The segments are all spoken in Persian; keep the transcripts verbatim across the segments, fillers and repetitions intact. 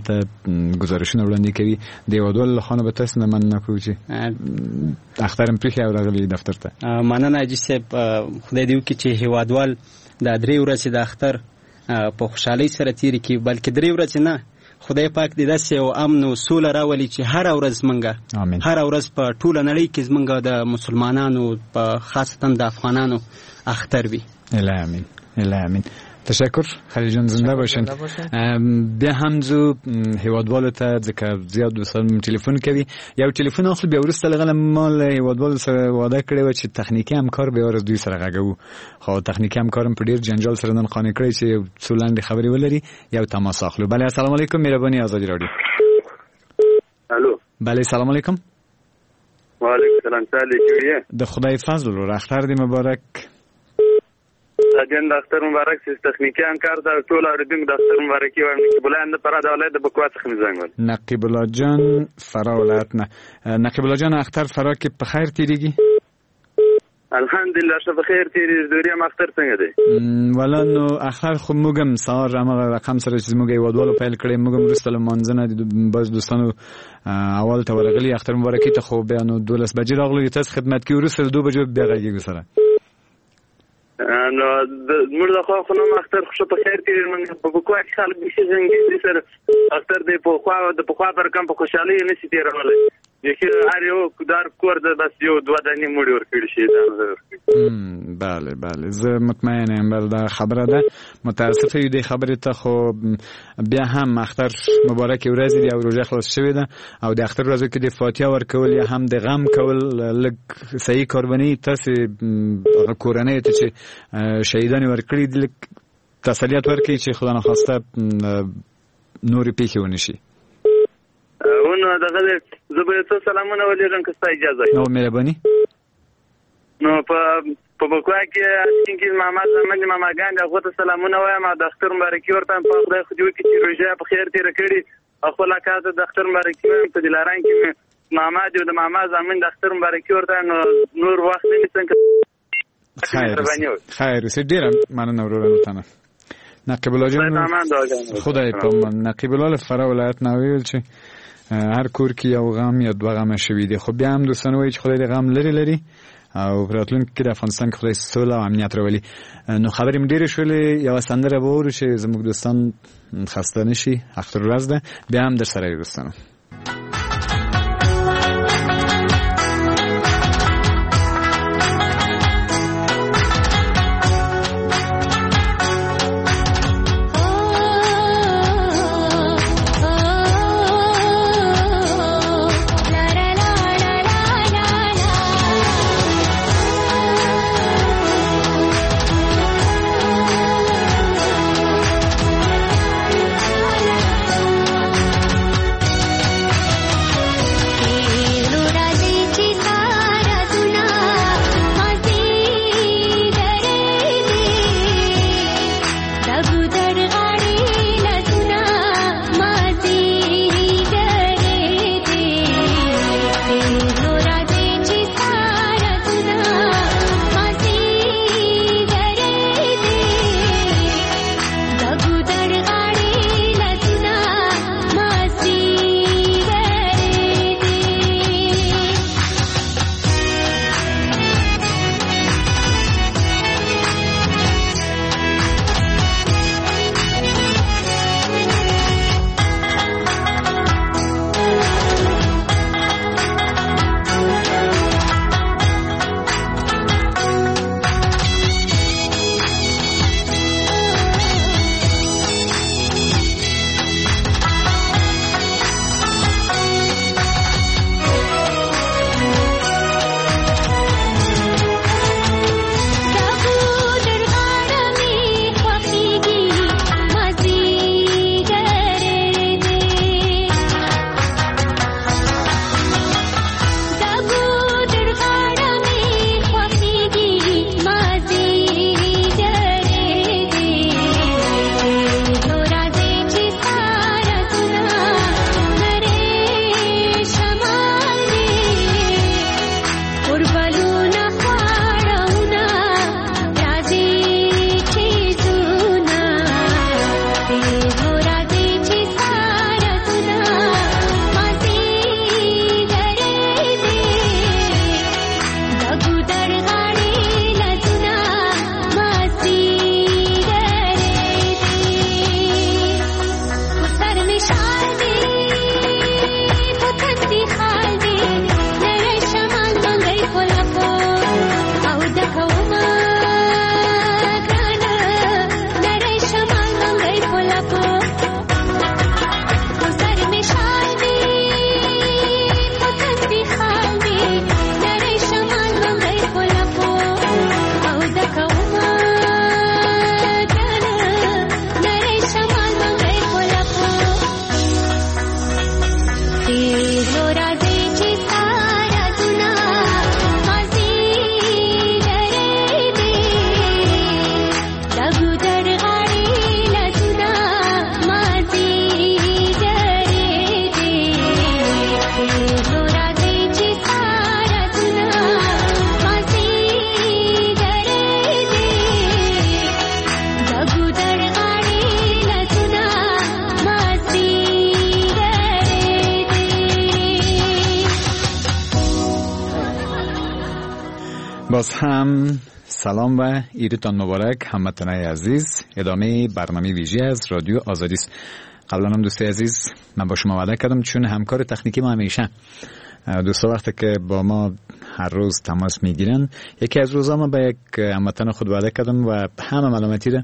دلته ګزارشونه وړاندې کوي. د هیوادوالو له خوا نه به تاسو نه مننه کوو چې اختر هم پرېښی او راغلي دفتر ته. مننه حاجي صاحب، خدای دې وکړي چې هیوادوال دا درې ورځې د اختر په خوشحالۍ سره تېرې کړي، بلکې درې ورځې نه، خدای پاک دې داسې یو امن او سوله راولي چې هره ورځ زمونږ هره ورځ په ټوله نړۍ کې زمونږ د مسلمانانو په خاصتا د افغانانو اختر وي. الهي امین، الهي امین. تشکر خلیل جان، زنده باشین. بیا هم ځو هیوادوالو ته، ځکه زیات دوستان ټلیفون کوي. یو ټلیفون اخلو، بیا وروسته له ما له هیوادوالو سره وعده کړې وه چې تخنیکي همکار به ورځ دوی سره غږوو، خو تخنیکي همکارم په ډیر جنجال سره نن قانع کړی چې یو څو لنډې خبرې ولري. یو تماس اخلو. بله السلام علیکم، مهرباني ازادي راډیو. الو. بله سلام علیکم. وعلیکم السلام، سالي د خدای فضل ورور، اختر دې مبارک. جان د اختر مبارک. چې تخنیکي همکار ته ټول اوریدونکو د اختر مبارکي وایم. نقیب الله د فراه د ولایت د بکوا څخه مې زنګ وهلی. نقیب الله جان فراه ولایت نه. نقیب الله جان، اختر فراه کې په خیر تیریږي؟ الحمدلله ښه په خیر تیریږي. دوریم اختر څنګه دی؟ ولا نو اختر خو موږ هم سهار همغه رقم سره چې زموږ هیوادوالو پیل کړی، موږ هم وروسته له لمانځه نه د بعض دوستانو اول ته ورغلي اختر مبارکي ته، خو بیا نو دولس بجې راغلو د تاسو خدمت کې، وروسته له دوه بجو بیا غږېږو سره. نو موږ د خو خو نو اختر خو په خیر تیریږي. موږ په بکوا کې خلک بیخي غمګین دي سره. اختر دی په خوا د پخوا پر کم په خوشحالۍ نه شي تېرولی. بیخي هر یو دار کور ده بس یو دوه دانې مړي ورکړي شهیدانو ته ورکړي. بله بله، زه مطمئن یم، بله دا خبره ده. متاسف یو دې خبرې ته، خو بیا هم اختر مبارکې ورځې دي او روژه خلاص شوې ده، او د اختر ورځو کې د فاتحه ورکول یا هم د غم کول لږ صحیح کار به نه وي. تاسې هغه کورنۍ ته چې شهیدان یې ورکړي دي لږ تسلیت ورکړئ چې خدا نخواسته نورې پېښې ونه شي. نو دغه زه به یو څو سلامونه ولېږم که ستا اجازه وي. نو مهرباني. نو په په بکوا کې اشکین کې ماما زامن دي، ماماګان دي، هغو ته سلامونه وایم او د اختر مبارکي ورته وایم. په خدای خو دې وکړي چې روژه په خیر تېره کړي او خپل اکا ته د اختر مبارکي وایم. په دلاران کې مې ماما دی او د ماما زامن د اختر مبارکي ورته وایم. نو نور وخت نه نیسم. خیر خیر اوسې، ډېره مننه وروره له نقیب الله جان. خدای په امان. نقیب الله له فراه ولایت نه ویل چې هر کور کې یو غم یا دوه غمه شوي دي، خو بیا هم دوستان وایي چې خدای دې غم لرې لري او په راتلونکي کې د افغانستان کې خدای سوله او امنیت راولي. نو خبرې مې ډېرې شولې، یوه سندره به واورو چې زموږ دوستان خسته نه شي. اختر ورځ ده، بیا هم در سره یو دوستانو. La la la la la. باز هم سلام و عیدتان مبارک هموطنای عزیز. ادامه برنامه ویژه از رادیو آزادی است. قبلا هم دوست عزیز من با شما وعده کردم، چون همکار تکنیکی ما همیشه دوستا وقتی که با ما هر روز تماس میگیرن، یکی از روزا ما به یک هموطن خود وعده کردم و همه ملامتی را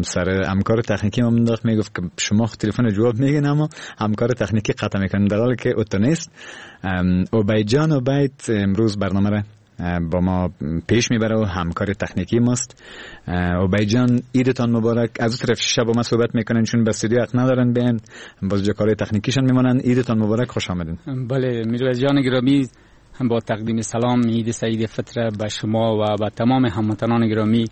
سر همکار تکنیکی ما انداخت. میگفت که شما تلفن جواب میگین اما همکار تکنیکی قطع میکنن، در حالی که او نیست. عبید جان عبید امروز برنامه را با ما پیش میبره و همکار تکنیکی ماست. عبید جان عیدتان مبارک. از اون طرف شب با ما صحبت میکنن چون به استودیو حق ندارن بیان، باز جا کارهای تکنیکیشان میمانن. عیدتان مبارک، خوش آمدین. بله میرویس جان گرامی، هم با تقدیم سلام عید سعید فطر به شما و به تمام هموطنان گرامی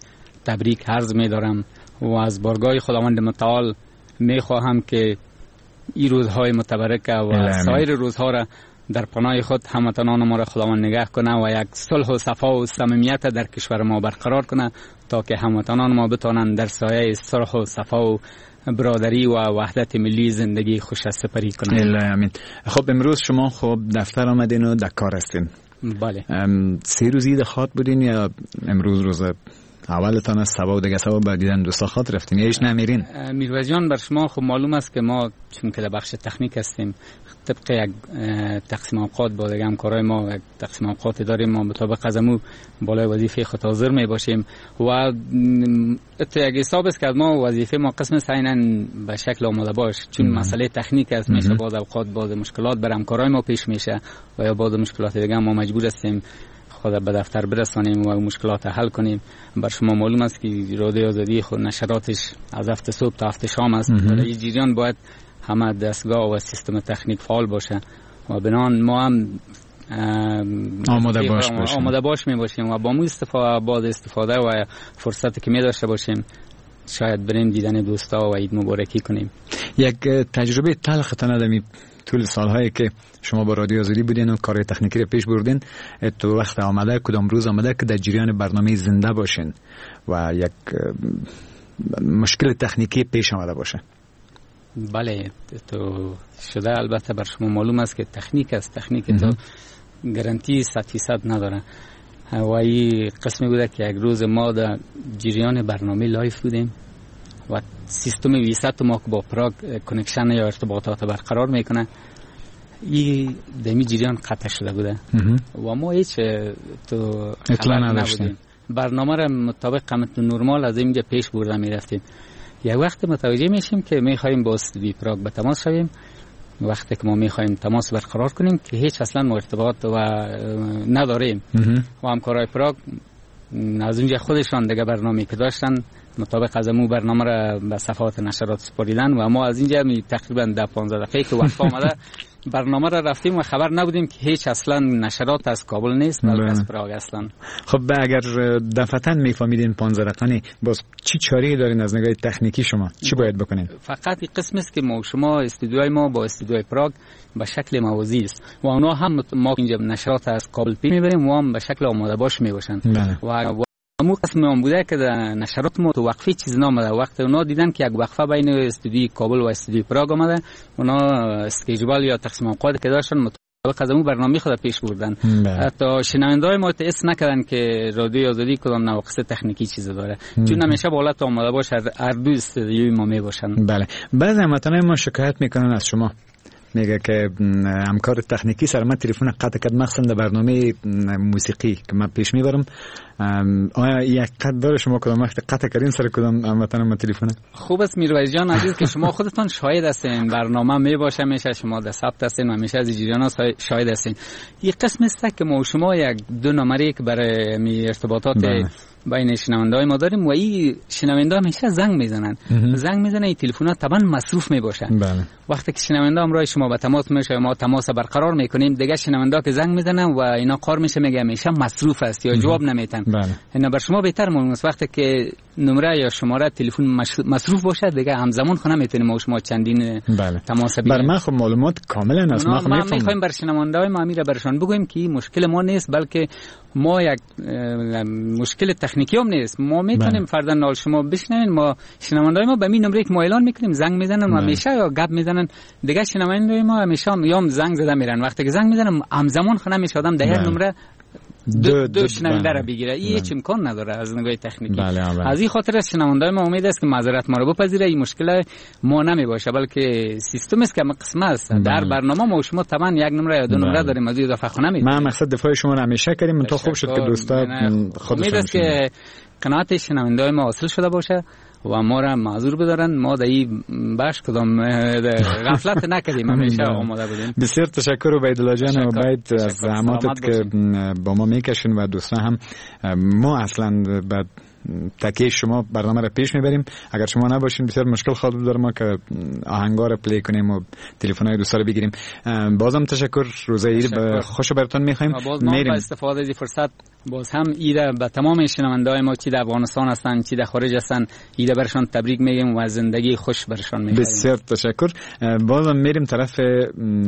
تبریک عرض میدارم و از بارگاه خداوند متعال میخواهم که این روزهای متبرکه و سایر روزها را در پناه خود هموطنان ما را خداوند نگه کنه و یک صلح و صفا و صمیمیت در کشور ما برقرار کنه تا که هموطنان ما بتوانند در سایه صلح و صفا و برادری و وحدت ملی زندگی خوش سپری کنند. آمین. خب امروز شما خب دفتر آمدین و در کار هستین. بله. سه روز عید خواد بودین یا امروز روز اولتان از سبا و دیگه سبا بعد دیدن دوستا خواد رفتین یا هیچ نمیرین؟ میرویس جان بر شما خب معلوم است که ما چون که در بخش تکنیک هستیم طبق یک تقسیم اوقات با دیگه همکارای ما یک تقسیم اوقات داریم، ما مطابق از امو بالای وظیفه خود حاضر می باشیم و تو یک حساب است که ما وظیفه ما قسم سینن به شکل آماده باش، چون مم. مسئله تکنیک است، میشه بعض اوقات بعض مشکلات بر همکارای ما پیش میشه و یا بعض مشکلات دیگه ما مجبور هستیم خود به دفتر برسانیم و مشکلات حل کنیم. بر شما معلوم است که رادیو آزادی خود نشراتش از هفت صبح تا هفت شام است. در این جریان باید همه دستگاه و سیستم تکنیک فعال باشه و بنان ما هم آماده باش باشیم. آماده باش می باشیم و با مو استفاده باز استفاده و فرصتی که می داشته باشیم شاید بریم دیدن دوستا و عید مبارکی کنیم. یک تجربه تلخ تان طول سالهایی که شما با رادیو آزادی بودین و کار تکنیکی رو پیش بردین، تو وقت آمده کدام روز آمده که در جریان برنامه زنده باشین و یک مشکل تکنیکی پیش آمده باشه؟ بله تو شده. البته بر شما معلوم است که تکنیک است، تکنیک تو گارانتی صد فیصد نداره و این قسمی بوده که یک روز ما در جریان برنامه live بودیم و سیستم ویست ما که با پراگ connection یا ارتباطات برقرار میکنه این دمی جریان قطع شده بوده و ما هیچ تو اطلاع نداشتیم. برنامه را مطابق قیمت نرمال از اینجا پیش برده میرفتیم. یک وقت متوجه میشیم که میخوایم با استودیو پراگ به تماس شویم. وقتی که ما میخوایم تماس برقرار کنیم که هیچ اصلا ما ارتباط و نداریم و همکارای پراگ از اونجا خودشان دیگه برنامه‌ای که داشتن مطابق از امو برنامه را به صفحات نشرات سپاریدن و ما از اینجا می تقریبا ده پانزده دقیقه که وقت آمده برنامه را رفتیم و خبر نبودیم که هیچ اصلا نشرات از کابل نیست بلکه از پراگ اصلا. خب اگر دفعتاً میفهمیدین پانزده دقیقه باز چی چاره دارین از نگاه تکنیکی شما چی باید بکنین؟ فقط این قسم است که ما شما استودیوی ما با استودیوی پراگ به شکل موازی است و اونا هم ما اینجا نشرات از کابل پی میبریم و هم به شکل آماده باش میباشن و امو قسم هم بوده که در نشرات ما تو وقفه چیز نامده. وقت اونا دیدن که یک وقفه بین استودیوی کابل و استودیوی پراگ آمده، اونا schedule یا تقسیم اوقات که داشتن مطابق از امو برنامه خود پیش بردن. حتی شنونده‌های ما حس نکردن که رادیو آزادی کدام نواقص تکنیکی چیز داره، چون همیشه با حالت آماده باش هر دو استودیوی ما می باشن. بله بعضی هموطنای ما شکایت میکنن از شما، میگه که همکار تکنیکی سر من تلفن قطع کرد، مخصوصا در برنامه موسیقی که من پیش میبرم. آیا یک قطع داره شما کدام وقت قطع کردین سر کدام هموطن ما تلفن؟ خوب است میرویس جان عزیز که شما خودتان شاهد هستین، برنامه میباشه میشه شما در ثبت هستین و میشه از جریان شاهد هستین. یک قسم است که ما شما یک دو نمره که برای می ارتباطات بین شنونده‌های ما داریم و این شنونده همیشه زنگ میزنن، زنگ میزنن این تلفن‌ها طبعا مصروف میباشن. بله. وقتی که شنونده همراه شما به تماس میشه ما تماس برقرار میکنیم، دیگه شنونده که زنگ میزنن و اینا قار میشه میگه همیشه مصروف است یا جواب نمیتن. بله. اینا بر شما بهتر معلوم است وقتی که نمره یا شماره تلفن مصروف باشه دیگه همزمان خونه میتونیم ما شما چندین بله. تماس بگیریم. بر من خب معلومات کاملا است. ما میخوایم بر شنونده‌های ما امیر برشان بگوییم که مشکل ما نیست، بلکه ما یک مشکل تکنیکی هم نیست. ما میتونیم فرضاً نال شما بشنوین، ما شنونده‌های ما به می نمره که ما اعلان میکنیم زنگ میزنن و همیشه یا گپ میزنن. دیگه شنونده‌های ما همیشه یا زنگ زده میرن، وقتی که زنگ میزنن همزمان خونه میشه آدم ده نمره دو, دو شنونده را بگیره. این هیچ امکان نداره از نگاه تکنیکی. بله بله. از این خاطر از شنونده ما امید است که معذرت ما را بپذیره. این مشکل ما نمی باشه، بلکه سیستم است که قسم است. بله. در برنامه ما شما طبعا یک نمره یا دو نمره بله. داریم، از این اضافه خو نمی‌دیم. ما مقصد دفاع شما را همیشه کردیم، تا خوب شد که دوستا خودشون امید است که قناعت شنونده ما حاصل شده باشه و ما را معذور بدارن. ما در این بخش کدام غفلت نکردیم، همیشه آماده بودیم. بسیار تشکر عبیدالله جان و عبید از زحماتت که با ما میکشین و دوستان هم. ما اصلا به تکیه شما برنامه را پیش میبریم. اگر شما نباشین بسیار مشکل خواهد بود ما که آهنگا را play کنیم و تلفن‌های دوستا را بگیریم. بازم تشکر، روزه عید خوش براتون میخوایم. باز ما با استفاده از این فرصت باز هم عید به تمام شنونده‌های ما چی در افغانستان هستند چی در خارج هستند عید برشان تبریک میگیم و زندگی خوش برشان میخوایم. بسیار تشکر. بازم میریم طرف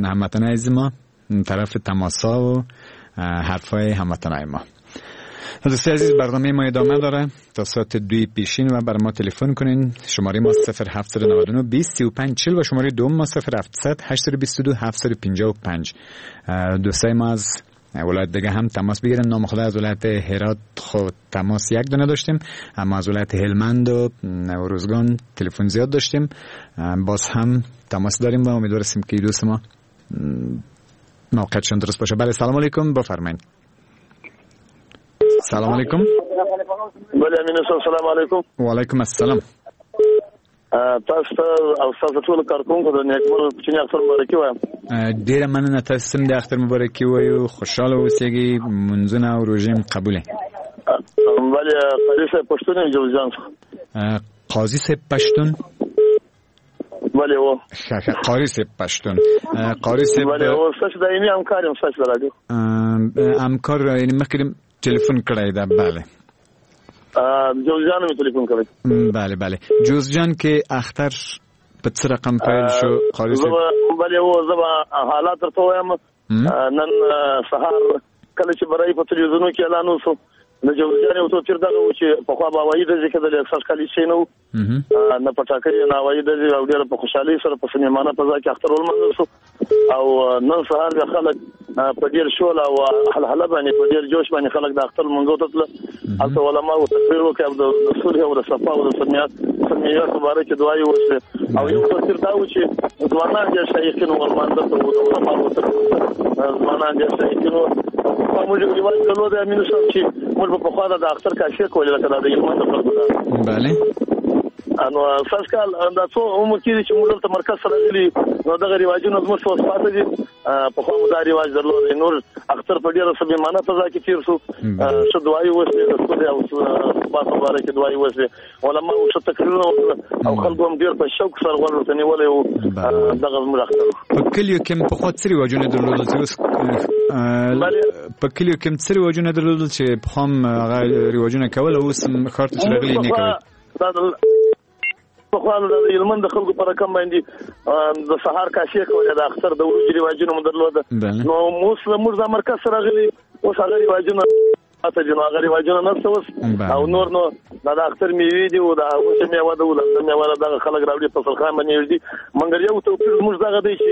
هموطنای عزیز ما، طرف تماسا و حرفای هموطنای ما. دوستان عزیز برنامه ما ادامه داره تا ساعت دوی پیشین و بر ما تلفن کنین. شماره ما صفر هفت نه نه بیست سی و پنج چهل و شماره دوم ما صفر هفت صفر هشت دو دو هفت پنج پنج. دوستای ما از ولایت دیگه هم تماس بگیرن. نام خدا از ولایت هرات خود تماس یک دونه داشتیم، اما از ولایت هلمند و روزگان تلفن زیاد داشتیم. باز هم تماس داریم و امیدواریم که دوست ما موقعیتشون درست باشه. بله سلام علیکم، بفرمایید. سلام علیکم. بله امین السلام علیکم. و علیکم السلام. تاسو ته او ستاسو ټولو کارکوونکو د نیکمرغه کوچني اختر مبارکي وایم. ډېره مننه، تاسو هم د اختر مبارکي وایو. خوشحاله اوسئ، منځونه او روژې هم قبوله. بله قاضي صاحب پښتون یم، جوزجان څخه. قاضي صاحب پښتون؟ بله و ښه ښه، قاري صاحب پښتون. قاري صاحب بله و ستاسو دایمي همکار یم، ستاسو د راډیو همکار، یعنې مخکې تلفن کړی ده؟ بله جوزجان مې تلفن کړی. بله بله، جوزجان کې اختر په څه رقم پیل شو قاري صاحب؟ بله و زه به حالات درته وایم. نن سهار کله چې برای په تلویزیونو کې اعلان وشو د جوزجان یو توپیر دغه و چې پخوا به هوایي ډزې کېدلې، سږ کال هېڅ شی نه و، نه پټاکۍ نه هوایي ډزې، او ډېره په خوشحالۍ سره په صمیمانه فضا کې اختر ولمانځل شو. او نن سهار بیا خلک په ډېر شول او هلهله باندې په ډېر جوش باندې خلک د اختر لمونځو ته تلل. هلته علماو تقریر وکړ او د صلح او د صفا او د سمیت په باره کې دعایې وشوې. او یو توپیر دا و چې ځوانان ډېر شایقین وو لمانځه ته، او د علماو تقریر ته ځوانان ډېر شایقین وو. موږ یو رواج درلود امین صاحب چې موږ به پخوا د اختر کاشې کولې، لکه دا د هلمند د خلکو ده. بله نو سږ کال دا څو عمر کېږي چې موږ دلته مرکز سره راغلي، نو دغه رواجونه زموږ اوس پاتې دي. پخوا مو دا رواج درلود. نور اختر په ډېره صمیمانه فضا کې تېر شو، ښه دعایې وشوې، د سولې او ثبات په باره کې دعایې وشوې، علماو ښه تقریرونه وکړل او خلکو هم ډېر په شوق سره غوږ ورته نیولی و. دغه زموږ اختر. په کلیو کې هم پخوا څه رواجونه درلودل چې اوس په کلیو کې هم څه رواجونه درلودل چې پخوا هم هغه رواجونه کول او اوس ښار ته چې راغلي نه کوي؟ پخوا د هلمند د خلکو په رقم باندې د سهار کاشې کولې، د اختر د ورځې رواجونه مو درلوده. نو اوس موږ دا مرکز سره راغلي، اوس هغه رواجونه پاتې دي، نو هغه رواجونه نشته اوس. او نور نو دا د اختر میوې دي او د وچه میوه ده او د میوه دغه خلک راوړي په سرخان باندې ږدي. مګر یو توپیر زموږ دغه دی چې